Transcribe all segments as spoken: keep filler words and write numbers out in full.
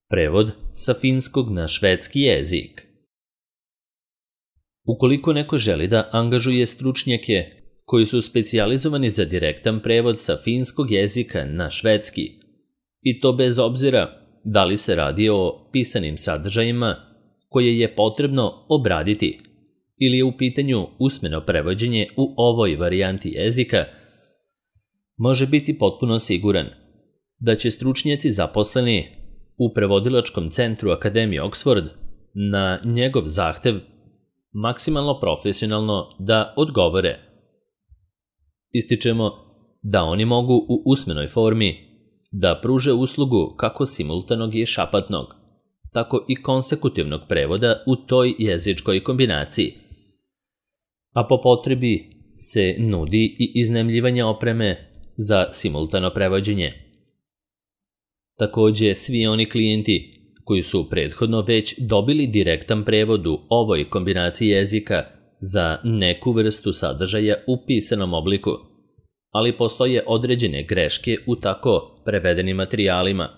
Prevod sa finskog na švedski jezik. Ukoliko neko želi da angažuje stručnjake koji su specijalizovani za direktan prevod sa finskog jezika na švedski, i to bez obzira da li se radi o pisanim sadržajima koje je potrebno obraditi ili je u pitanju usmeno prevođenje u ovoj varijanti jezika, može biti potpuno siguran da će stručnjaci zaposleni u prevodilačkom centru Akademije Oxford na njegov zahtev maksimalno profesionalno da odgovore. Ističemo da oni mogu u usmenoj formi da pruže uslugu kako simultanog i šapatnog, tako i konsekutivnog prevoda u toj jezičkoj kombinaciji, a po potrebi se nudi i iznajmljivanje opreme za simultano prevođenje. Takođe, svi oni klijenti koji su prethodno već dobili direktan prevod u ovoj kombinaciji jezika za neku vrstu sadržaja u pisanom obliku, ali postoje određene greške u tako prevedenim materijalima,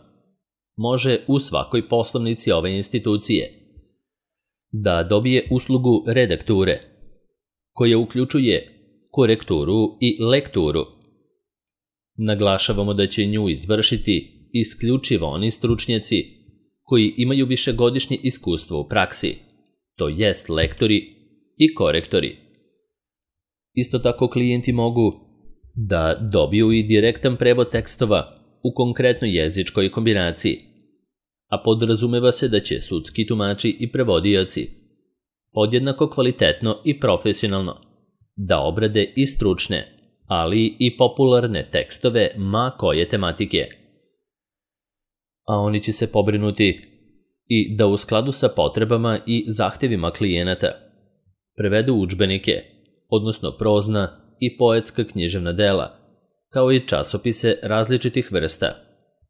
može u svakoj poslovnici ove institucije da dobije uslugu redakture, koja uključuje korekturu i lekturu. Naglašavamo da će nju izvršiti isključivo oni stručnjaci koji imaju višegodišnje iskustvo u praksi, to jest lektori i korektori. Isto tako klijenti mogu da dobiju i direktan prevod tekstova u konkretnoj jezičkoj kombinaciji, a podrazumeva se da će sudski tumači i prevodioci podjednako kvalitetno i profesionalno da obrade i stručne, ali i popularne tekstove ma koje tematike. A oni će se pobrinuti i da u skladu sa potrebama i zahtevima klijenata prevedu udžbenike, odnosno prozna i poetska književna dela, kao i časopise različitih vrsta,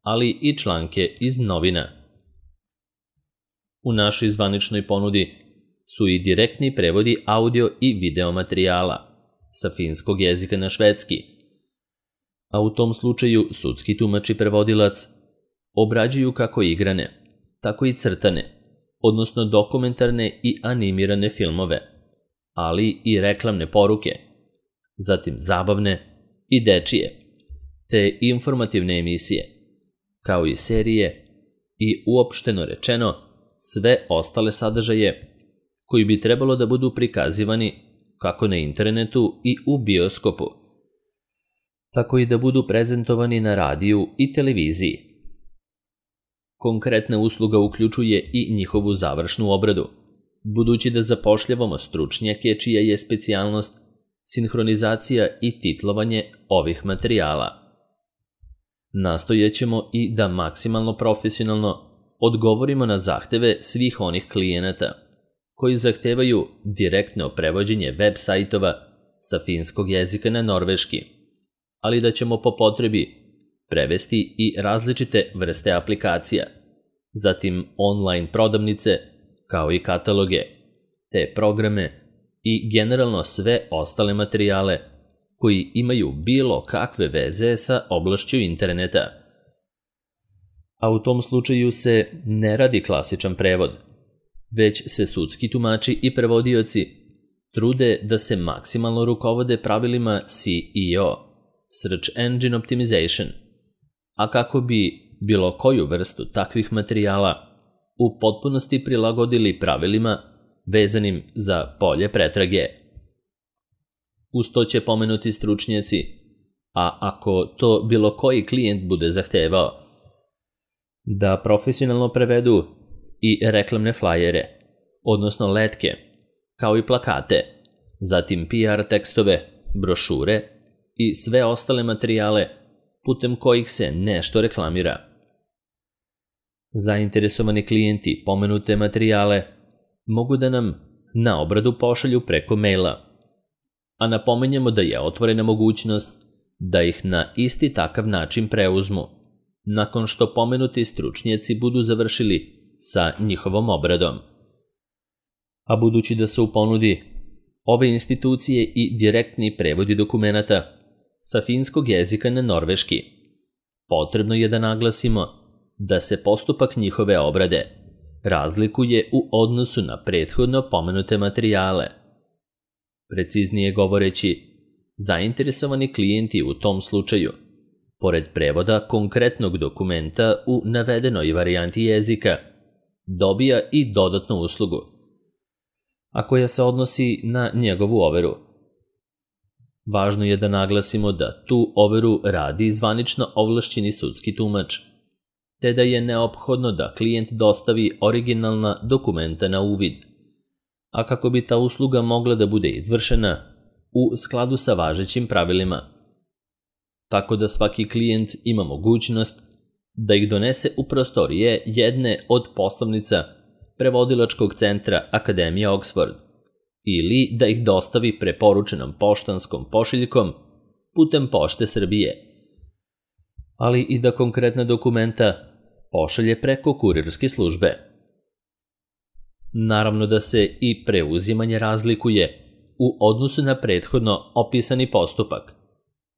ali i članke iz novina. U našoj zvaničnoj ponudi su i direktni prevodi audio i video materijala sa finskog jezika na švedski, a u tom slučaju sudski tumač i prevodilac obrađuju kako igrane, tako i crtane, odnosno dokumentarne i animirane filmove, ali i reklamne poruke, zatim zabavne i dečije, te informativne emisije, kao i serije i uopšteno rečeno sve ostale sadržaje koji bi trebalo da budu prikazivani kako na internetu i u bioskopu, tako i da budu prezentovani na radiju i televiziji. Konkretna usluga uključuje i njihovu završnu obradu, budući da zapošljavamo stručnjake čija je specijalnost sinhronizacija i titlovanje ovih materijala. Nastojećemo i da maksimalno profesionalno odgovorimo na zahteve svih onih klijenata koji zahtevaju direktno prevođenje web sajtova sa finskog jezika na norveški, ali da ćemo po potrebi prevesti i različite vrste aplikacija, zatim online prodavnice, kao i kataloge, te programe i generalno sve ostale materijale koji imaju bilo kakve veze sa oblašću interneta. A u tom slučaju se ne radi klasičan prevod, već se sudski tumači i prevodioci trude da se maksimalno rukovode pravilima S E O, Search Engine Optimization, a kako bi bilo koju vrstu takvih materijala u potpunosti prilagodili pravilima vezanim za polje pretrage. Uz to će pomenuti stručnjaci, a ako to bilo koji klijent bude zahtevao, da profesionalno prevedu i reklamne flajere, odnosno letke, kao i plakate, zatim P R tekstove, brošure i sve ostale materijale putem kojih se nešto reklamira. Zainteresovani klijenti pomenute materijale mogu da nam na obradu pošalju preko maila, a napomenjamo da je otvorena mogućnost da ih na isti takav način preuzmu, nakon što pomenuti stručnjaci budu završili sa njihovom obradom. A budući da su u ponudi ove institucije i direktni prevodi dokumenata sa finskog jezika na norveški, potrebno je da naglasimo da se postupak njihove obrade razlikuje u odnosu na prethodno pomenute materijale. Preciznije govoreći, zainteresovani klijenti u tom slučaju, pored prevoda konkretnog dokumenta u navedenoj varijanti jezika, dobija i dodatnu uslugu, a koja se odnosi na njegovu overu. Važno je da naglasimo da tu overu radi zvanično ovlašćeni sudski tumač, te da je neophodno da klijent dostavi originalna dokumenta na uvid, a kako bi ta usluga mogla da bude izvršena u skladu sa važećim pravilima. Tako da svaki klijent ima mogućnost da ih donese u prostorije jedne od poslovnica prevodilačkog centra Akademije Oxford ili da ih dostavi preporučenom poštanskom pošiljkom putem Pošte Srbije, ali i da konkretna dokumenta pošalje preko kurirske službe. Naravno da se i preuzimanje razlikuje u odnosu na prethodno opisani postupak,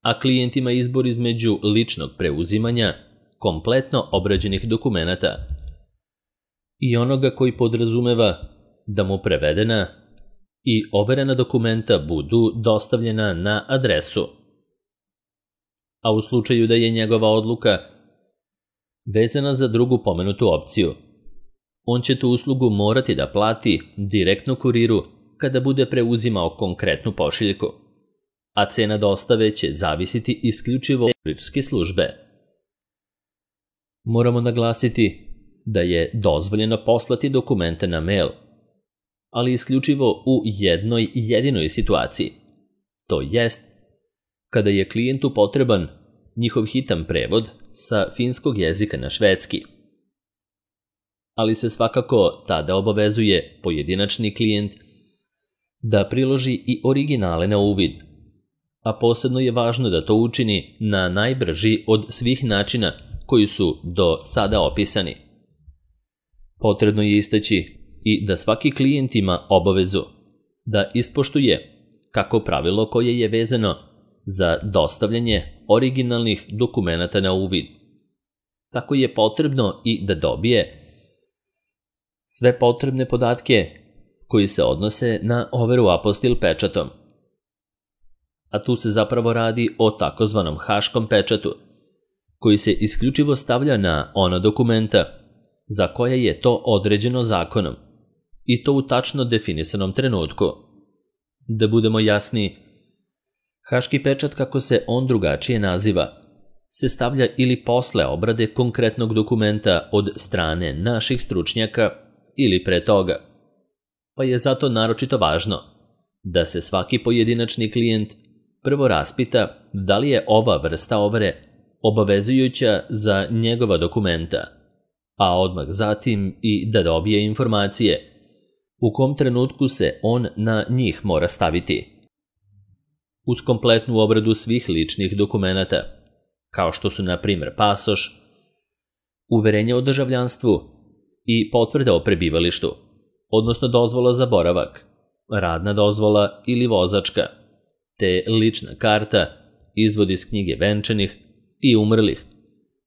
a klijent ima izbor između ličnog preuzimanja kompletno obrađenih dokumenata i onoga koji podrazumeva da mu prevedena i overena dokumenta budu dostavljena na adresu. A u slučaju da je njegova odluka vezana za drugu pomenutu opciju, on će tu uslugu morati da plati direktno kuriru kada bude preuzimao konkretnu pošiljku, a cena dostave će zavisiti isključivo od kurirske službe. Moramo naglasiti da je dozvoljeno poslati dokumente na mail, ali isključivo u jednoj jedinoj situaciji, to jest kada je klijentu potreban njihov hitan prevod sa finskog jezika na švedski. Ali se svakako tada obavezuje pojedinačni klijent da priloži i originale na uvid, a posebno je važno da to učini na najbrži od svih načina koji su do sada opisani. Potrebno je istaći i da svaki klijent ima obavezu da ispoštuje kako pravilo koje je vezano za dostavljanje originalnih dokumenata na uvid. Tako je potrebno i da dobije sve potrebne podatke koji se odnose na overu apostil pečatom. A tu se zapravo radi o takozvanom haškom pečatu, koji se isključivo stavlja na ona dokumenta za koje je to određeno zakonom, i to u tačno definisanom trenutku. Da budemo jasni, haški pečat, kako se on drugačije naziva, se stavlja ili posle obrade konkretnog dokumenta od strane naših stručnjaka ili pre toga, pa je zato naročito važno da se svaki pojedinačni klijent prvo raspita da li je ova vrsta overe obavezujuća za njegova dokumenta, a odmah zatim i da dobije informacije u kom trenutku se on na njih mora staviti. Uz kompletnu obradu svih ličnih dokumenata, kao što su na primjer pasoš, uverenje o državljanstvu i potvrda o prebivalištu, odnosno dozvola za boravak, radna dozvola ili vozačka, te lična karta, izvod iz knjige venčanih i umrlih,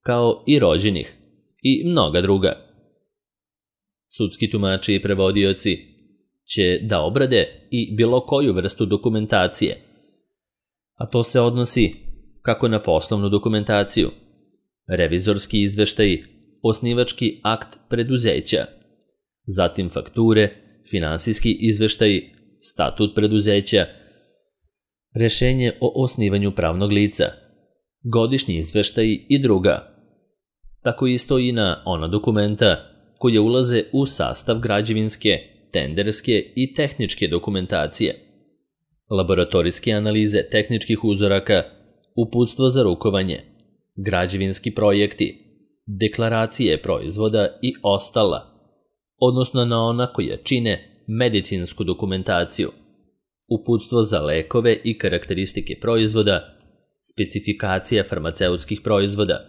kao i rođenih i mnoga druga. Sudski tumači i prevodioci će da obrade i bilo koju vrstu dokumentacije, a to se odnosi kako na poslovnu dokumentaciju, revizorski izveštaj, osnivački akt preduzeća, zatim fakture, finansijski izveštaj, statut preduzeća, rešenje o osnivanju pravnog lica, godišnji izveštaj i druga. Tako isto i na ona dokumenta koje ulaze u sastav građevinske, tenderske i tehničke dokumentacije, laboratorijske analize tehničkih uzoraka, uputstvo za rukovanje, građevinski projekti, deklaracije proizvoda i ostala, odnosno na ona koja čine medicinsku dokumentaciju, uputstvo za lekove i karakteristike proizvoda, specifikacija farmaceutskih proizvoda,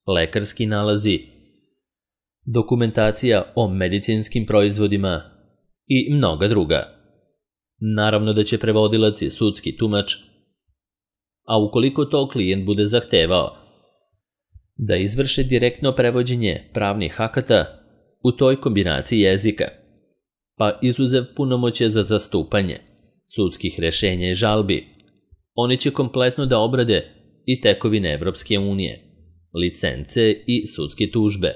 lekarski nalazi, dokumentacija o medicinskim proizvodima i mnoga druga. Naravno da će prevodilac i sudski tumač, a ukoliko to klijent bude zahtevao, da izvrše direktno prevođenje pravnih akata u toj kombinaciji jezika, pa izuzev punomoćje za zastupanje, sudskih rešenja i žalbi, oni će kompletno da obrade i tekovine Evropske unije, licence i sudske tužbe,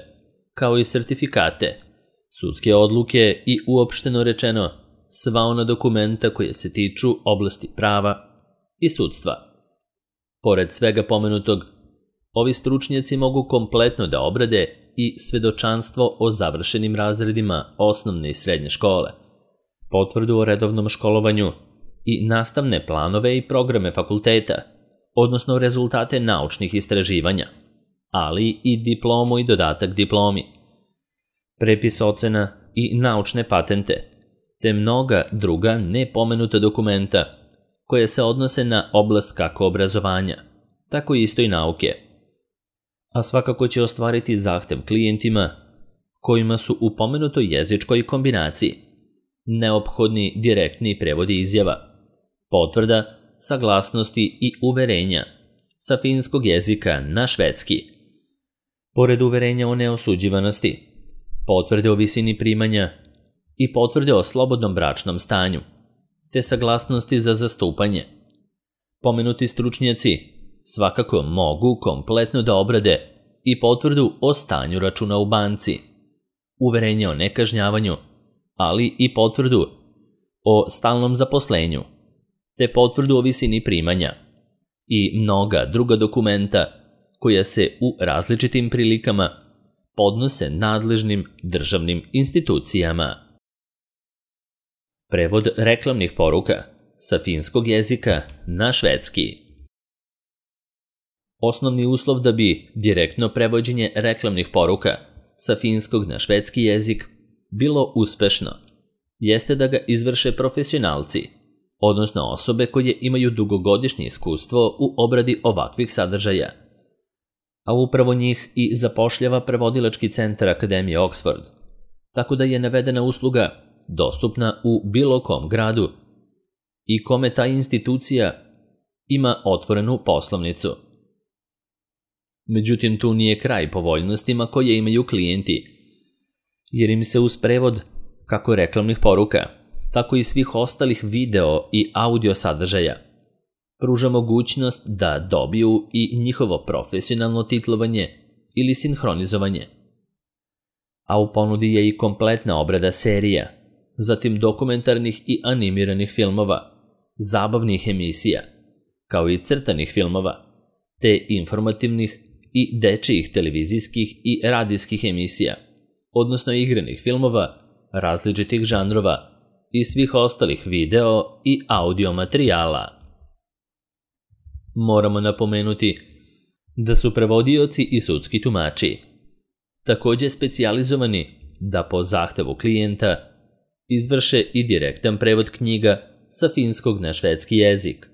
kao i sertifikate, sudske odluke i uopšteno rečeno sva ona dokumenta koje se tiču oblasti prava i sudstva. Pored svega pomenutog, ovi stručnjaci mogu kompletno da obrade i svedočanstvo o završenim razredima osnovne i srednje škole, potvrdu o redovnom školovanju i nastavne planove i programe fakulteta, odnosno rezultate naučnih istraživanja, ali i diplomu i dodatak diplomi, prepis ocena i naučne patente, te mnoga druga nepomenuta dokumenta koje se odnose na oblast kako obrazovanja, tako isto i nauke. A svakako će ostvariti zahtev klijentima kojima su u pomenutoj jezičkoj kombinaciji neophodni direktni prevodi izjava, potvrda, saglasnosti i uverenja sa finskog jezika na švedski. Pored uverenja o neosuđivanosti, potvrde o visini primanja i potvrde o slobodnom bračnom stanju, te saglasnosti za zastupanje. Pomenuti stručnjaci svakako mogu kompletno da obrade i potvrdu o stanju računa u banci, uverenje o nekažnjavanju, ali i potvrdu o stalnom zaposlenju, te potvrdu o visini primanja i mnoga druga dokumenta koja se u različitim prilikama podnose nadležnim državnim institucijama. Prevod reklamnih poruka sa finskog jezika na švedski. Osnovni uslov da bi direktno prevođenje reklamnih poruka sa finskog na švedski jezik bilo uspešno, jeste da ga izvrše profesionalci, odnosno osobe koje imaju dugogodišnje iskustvo u obradi ovakvih sadržaja, a upravo njih i zapošljava prevodilački centar Akademije Oxford, tako da je navedena usluga dostupna u bilo kom gradu i kome ta institucija ima otvorenu poslovnicu. Međutim, tu nije kraj povoljnostima koje imaju klijenti, jer im se uz prevod kako reklamnih poruka, tako i svih ostalih video i audio sadržaja pruža mogućnost da dobiju i njihovo profesionalno titlovanje ili sinhronizovanje. A u ponudi je i kompletna obrada serija, zatim dokumentarnih i animiranih filmova, zabavnih emisija, kao i crtanih filmova, te informativnih i dečijih televizijskih i radijskih emisija, odnosno igranih filmova, različitih žanrova i svih ostalih video i audio materijala. Moramo napomenuti da su prevodioci i sudski tumači takođe specijalizovani da po zahtevu klijenta izvrše i direktan prevod knjiga sa finskog na švedski jezik,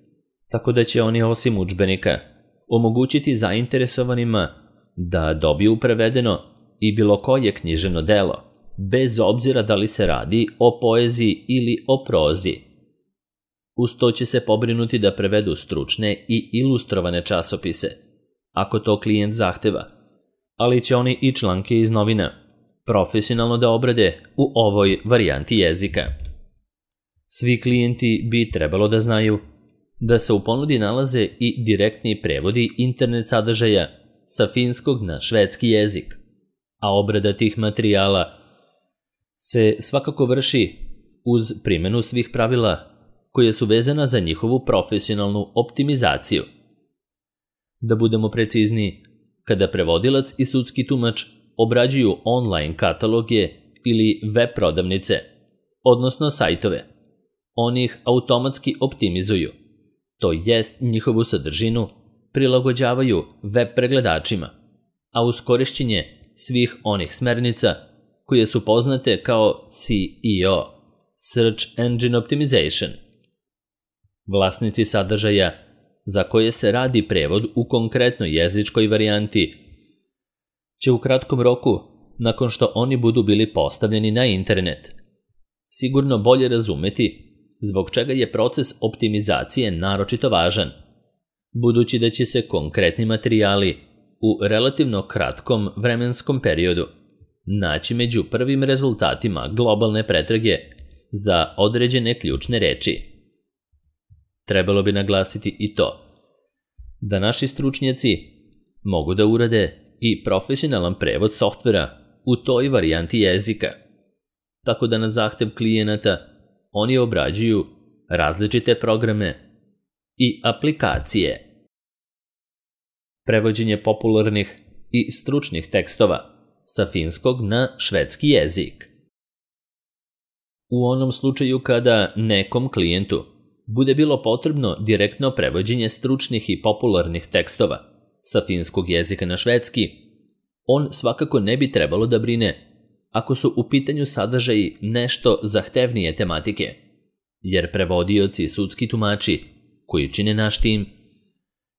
tako da će oni osim udžbenika omogućiti zainteresovanima da dobiju prevedeno i bilo koje književno delo, bez obzira da li se radi o poeziji ili o prozi. Uz to će se pobrinuti da prevedu stručne i ilustrovane časopise, ako to klijent zahteva, ali će oni i članke iz novina profesionalno da obrade u ovoj varijanti jezika. Svi klijenti bi trebalo da znaju da se u ponudi nalaze i direktni prevodi internet sadržaja sa finskog na švedski jezik, a obrada tih materijala se svakako vrši uz primjenu svih pravila koje su vezana za njihovu profesionalnu optimizaciju. Da budemo precizniji, kada prevodilac i sudski tumač obrađuju online kataloge ili web prodavnice, odnosno sajtove, oni ih automatski optimizuju, to jest njihovu sadržinu prilagođavaju web pregledačima, a uz korišćenje svih onih smernica koje su poznate kao S E O, Search Engine Optimization. Vlasnici sadržaja za koje se radi prevod u konkretnoj jezičkoj varijanti će u kratkom roku, nakon što oni budu bili postavljeni na internet, sigurno bolje razumeti zbog čega je proces optimizacije naročito važan, budući da će se konkretni materijali u relativno kratkom vremenskom periodu naći među prvim rezultatima globalne pretrage za određene ključne reči. Trebalo bi naglasiti i to da naši stručnjaci mogu da urade i profesionalan prevod softvera u toj varijanti jezika, tako da na zahtev klijenata oni obrađuju različite programe i aplikacije. Prevođenje popularnih i stručnih tekstova sa finskog na švedski jezik. U onom slučaju kada nekom klijentu bude bilo potrebno direktno prevođenje stručnih i popularnih tekstova sa finskog jezika na švedski, on svakako ne bi trebalo da brine ako su u pitanju sadržaji nešto zahtevnije tematike, jer prevodioci i sudski tumači koji čine naš tim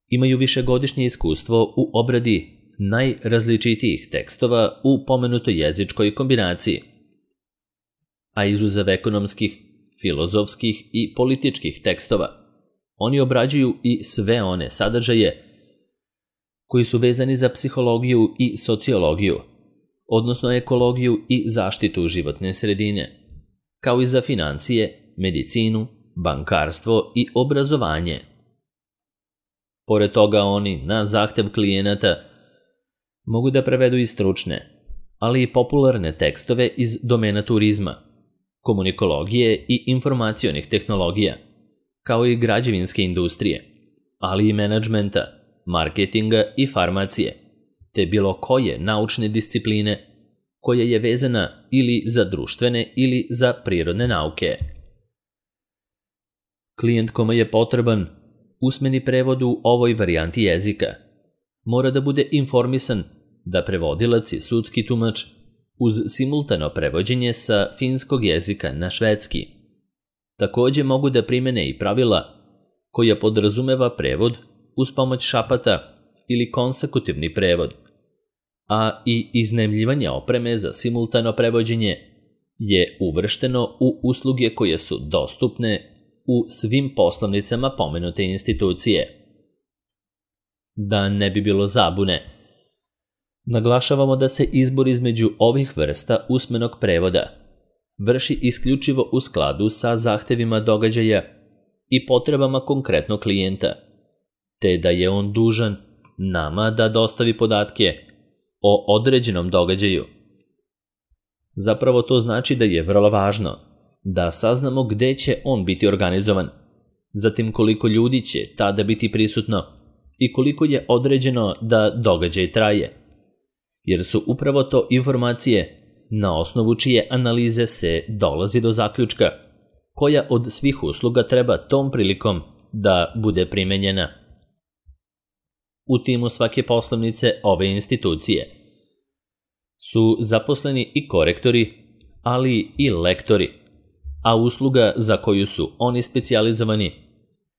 imaju višegodišnje iskustvo u obradi najrazličitijih tekstova u pomenutoj jezičkoj kombinaciji, a izuzev ekonomskih, filozofskih i političkih tekstova, oni obrađuju i sve one sadržaje koji su vezani za psihologiju i sociologiju, odnosno ekologiju i zaštitu životne sredine, kao i za financije, medicinu, bankarstvo i obrazovanje. Pored toga oni, na zahtev klijenata, mogu da prevedu i stručne, ali i popularne tekstove iz domena turizma, komunikologije i informacionih tehnologija, kao i građevinske industrije, ali i menadžmenta, marketinga i farmacije, te bilo koje naučne discipline koja je vezana ili za društvene ili za prirodne nauke. Klijent kome je potreban usmeni prevod u ovoj varijanti jezika mora da bude informisan da prevodilac i sudski tumač uz simultano prevođenje sa finskog jezika na švedski takođe mogu da primene i pravila koja podrazumeva prevod uz pomoć šapata ili konsekutivni prevod, a i iznajmljivanje opreme za simultano prevođenje je uvršteno u usluge koje su dostupne u svim poslovnicama pomenute institucije. Da ne bi bilo zabune, naglašavamo da se izbor između ovih vrsta usmenog prevoda vrši isključivo u skladu sa zahtevima događaja i potrebama konkretnog klijenta, te da je on dužan nama da dostavi podatke o određenom događaju. Zapravo to znači da je vrlo važno da saznamo gde će on biti organizovan, zatim koliko ljudi će tada biti prisutno i koliko je određeno da događaj traje, jer su upravo to informacije na osnovu čije analize se dolazi do zaključka koja od svih usluga treba tom prilikom da bude primenjena. U timu svake poslovnice ove institucije su zaposleni i korektori, ali i lektori, a usluga za koju su oni specijalizovani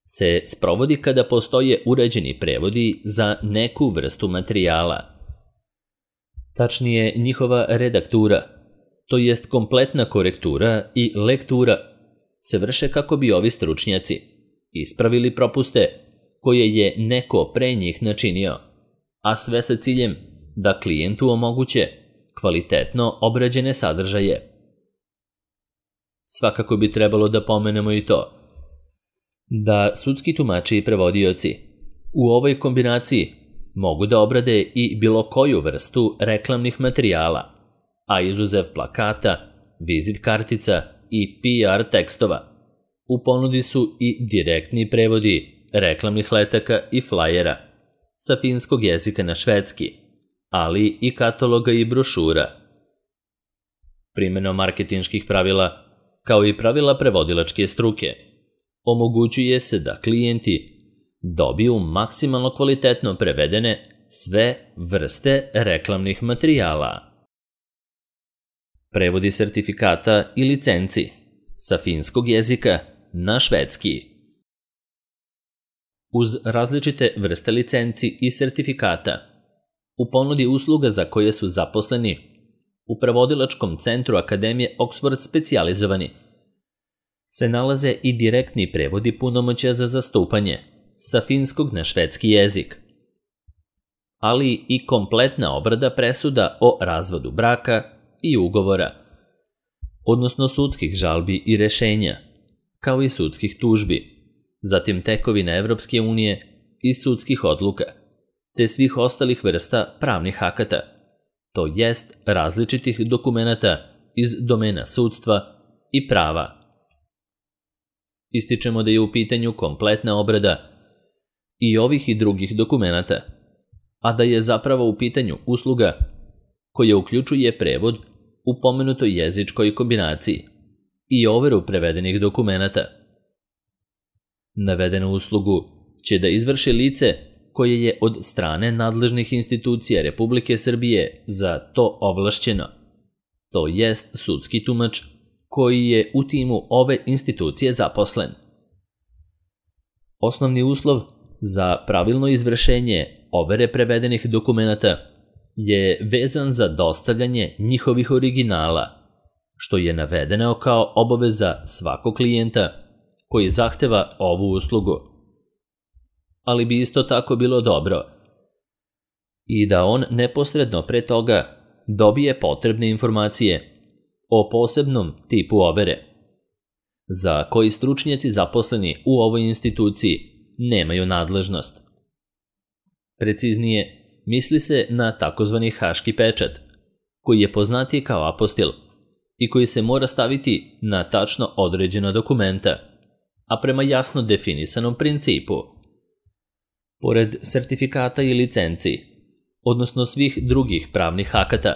se sprovodi kada postoje uređeni prevodi za neku vrstu materijala. Tačnije, njihova redaktura, to jest kompletna korektura i lektura, se vrše kako bi ovi stručnjaci ispravili propuste koje je neko pre njih načinio, a sve sa ciljem da klijentu omoguće kvalitetno obrađene sadržaje. Svakako bi trebalo da pomenemo i to da sudski tumači i prevodioci u ovoj kombinaciji mogu da obrade i bilo koju vrstu reklamnih materijala, a izuzev plakata, vizit kartica i P R tekstova. U ponudi su i direktni prevodi reklamnih letaka i flajera sa finskog jezika na švedski, ali i kataloga i brošura. Primenom marketinških pravila, kao i pravila prevodilačke struke, omogućuje se da klijenti dobiju maksimalno kvalitetno prevedene sve vrste reklamnih materijala. Prevodi sertifikata i licenci sa finskog jezika na švedski. Uz različite vrste licenci i sertifikata, u ponudi usluga za koje su zaposleni u prevodilačkom centru Akademije Oxford specijalizovani, se nalaze i direktni prevodi punomoćja za zastupanje sa finskog na švedski jezik. ali i kompletna obrada presuda o razvodu braka i ugovora, odnosno sudskih žalbi i rešenja, kao i sudskih tužbi, zatim tekovina Evropske unije i sudskih odluka, te svih ostalih vrsta pravnih akata, to jest različitih dokumenata iz domena sudstva i prava. Ističemo da je u pitanju kompletna obrada i ovih i drugih dokumenata, a da je zapravo u pitanju usluga koja uključuje prevod u pomenutoj jezičkoj kombinaciji i overu prevedenih dokumenata. Navedenu uslugu će da izvrši lice koje je od strane nadležnih institucija Republike Srbije za to ovlašćeno, to jest sudski tumač koji je u timu ove institucije zaposlen. Osnovni uslov za pravilno izvršenje overe prevedenih dokumenata je vezan za dostavljanje njihovih originala, što je navedeno kao obaveza svakog klijenta koji zahteva ovu uslugu. Ali bi isto tako bilo dobro i da on neposredno pre toga dobije potrebne informacije o posebnom tipu overe, za koji stručnjaci zaposleni u ovoj instituciji nemaju nadležnost. Preciznije, misli se na takozvani haški pečat, koji je poznatiji kao apostil i koji se mora staviti na tačno određena dokumenta, a prema jasno definisanom principu. Pored sertifikata i licenci, odnosno svih drugih pravnih akata,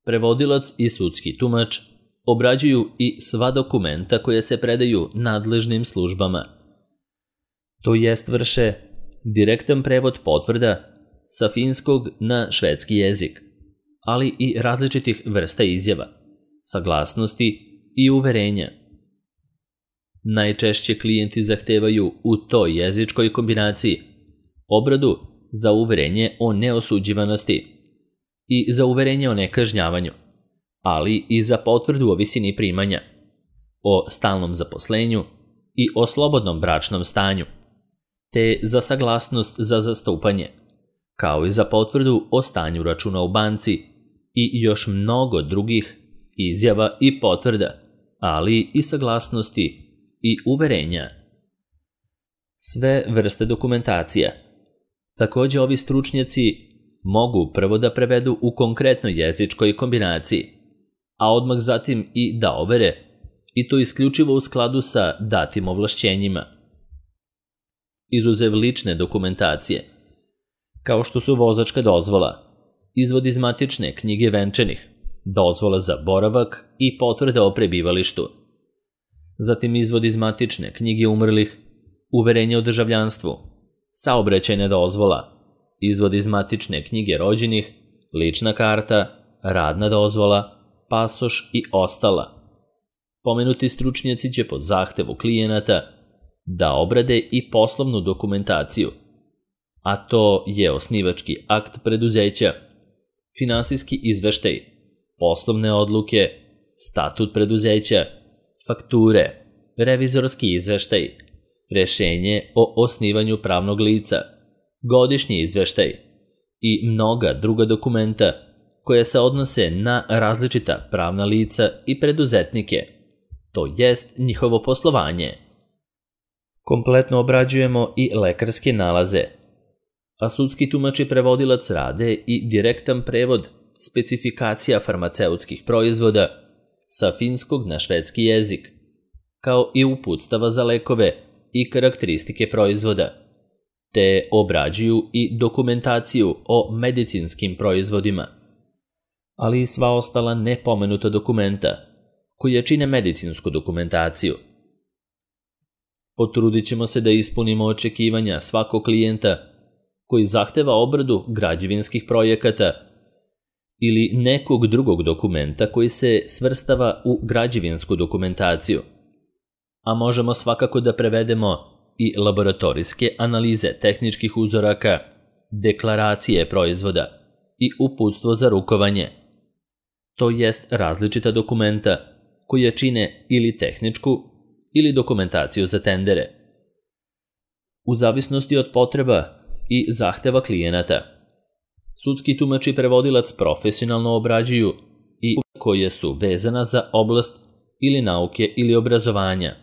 prevodilac i sudski tumač obrađuju i sva dokumenta koja se predaju nadležnim službama. To jest vrše direktan prevod potvrda sa finskog na švedski jezik, ali i različitih vrsta izjava, saglasnosti i uverenja. Najčešće klijenti zahtevaju u toj jezičkoj kombinaciji obradu za uverenje o neosuđivanosti i za uverenje o nekažnjavanju, ali i za potvrdu o visini primanja, o stalnom zaposlenju i o slobodnom bračnom stanju, te za saglasnost za zastupanje, kao i za potvrdu o stanju računa u banci i još mnogo drugih izjava i potvrda, ali i saglasnosti i uverenja. Sve vrste dokumentacija. Takođe, ovi stručnjaci mogu prvo da prevedu u konkretnoj jezičkoj kombinaciji, a odmah zatim i da overe, i to isključivo u skladu sa datim ovlašćenjima. Izuzev lične dokumentacije, kao što su vozačka dozvola, izvod iz matične knjige venčanih, dozvola za boravak i potvrda o prebivalištu, zatim izvod iz matične knjige umrlih, uverenje o državljanstvu, saobraćajna dozvola, izvod iz matične knjige rođenih, lična karta, radna dozvola, pasoš i ostala. Pomenuti stručnjaci će po zahtevu klijenata da obrade i poslovnu dokumentaciju, a to je osnivački akt preduzeća, finansijski izveštaj, poslovne odluke, statut preduzeća, fakture, revizorski izveštaj, rešenje o osnivanju pravnog lica, godišnji izveštaj i mnoga druga dokumenta koja se odnose na različita pravna lica i preduzetnike, to jest njihovo poslovanje. Kompletno obrađujemo i lekarske nalaze, a sudski tumač i prevodilac rade i direktan prevod specifikacija farmaceutskih proizvoda sa finskog na švedski jezik, kao i uputstava za lekove i karakteristike proizvoda, te obrađuju i dokumentaciju o medicinskim proizvodima, ali i sva ostala nepomenuta dokumenta koja čine medicinsku dokumentaciju. Potrudit ćemo se da ispunimo očekivanja svakog klijenta koji zahteva obradu građevinskih projekata ili nekog drugog dokumenta koji se svrstava u građevinsku dokumentaciju, a možemo svakako da prevedemo i laboratorijske analize tehničkih uzoraka, deklaracije proizvoda i uputstvo za rukovanje, to jest različita dokumenta koja čine ili tehničku ili dokumentaciju za tendere. U zavisnosti od potreba i zahteva klijenata, Sudski tumač i prevodilac profesionalno obrađuju i koje su vezana za oblast ili nauke ili obrazovanja.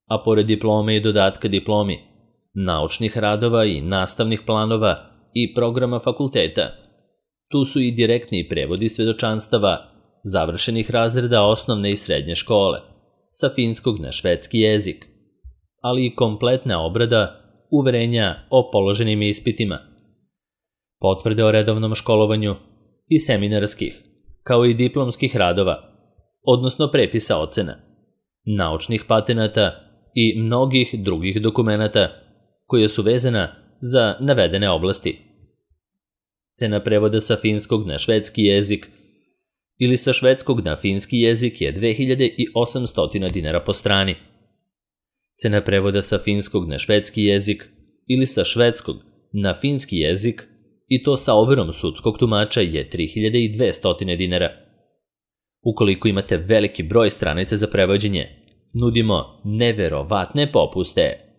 A pored diplome i dodatka diplomi, naučnih radova i nastavnih planova i programa fakulteta, tu su i direktni prevodi svedočanstava završenih razreda osnovne i srednje škole, sa finskog na švedski jezik, ali i kompletna obrada uverenja o položenim ispitima, potvrde o redovnom školovanju i seminarskih, kao i diplomskih radova, odnosno prepisa ocena, naučnih patenata i mnogih drugih dokumenata koje su vezana za navedene oblasti. Cena prevoda sa finskog na švedski jezik ili sa švedskog na finski jezik je dve hiljade osamsto dinara po strani. Cena prevoda sa finskog na švedski jezik ili sa švedskog na finski jezik i to sa overom sudskog tumača je tri hiljade dvesta dinara. Ukoliko imate veliki broj stranica za prevođenje, nudimo neverovatne popuste.